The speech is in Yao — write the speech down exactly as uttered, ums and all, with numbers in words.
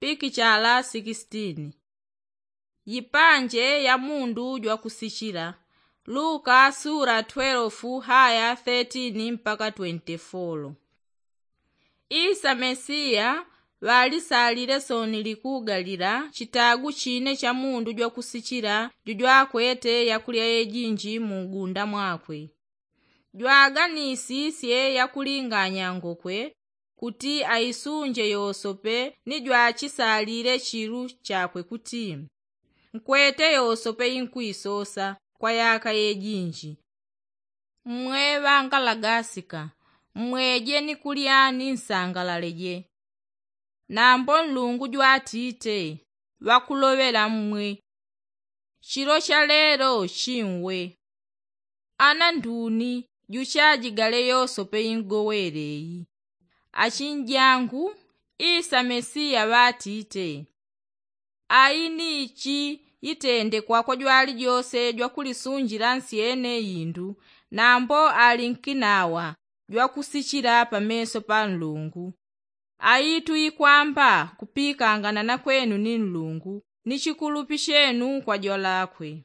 pikichala sikisitini. Yipanje ya mundu jwakusichila. Luka sura twelefu haya thetiini mpaka twenti folo. Isa mesiya ŵalisalile sooni likugalila chitagu chine cha mundu jwakusichila jujwakwete yakulya yejinji mu ugunda mwakwe. Jwaganisisye yakulinganya ngokwe kuti aisunje yosope ni jwachisalile chilu chakwe kuti, nkwete yosope inkwisosa kwa yaka yejinji. Mmwe ŵangalagasika, mmweje ni kulya ni nsangalaleje. Nambo nlungu jwatite, ŵakuloŵela mmwe. Chilo cha lelo chinwe. Ana nduni juchajigale yosope ingowele iyi? Achinjangu, isa mesiya ŵatite, ayi ni ichi yitendekwa kwa jwalijose jwakulisunjila nsyene indu, nambo ali nkinawa jwakusichila pameso pa nlungu. Ayi tuikwamba kupikangana na kwenu ni nlungu ni chikulupi chenu kwa jwalakwe.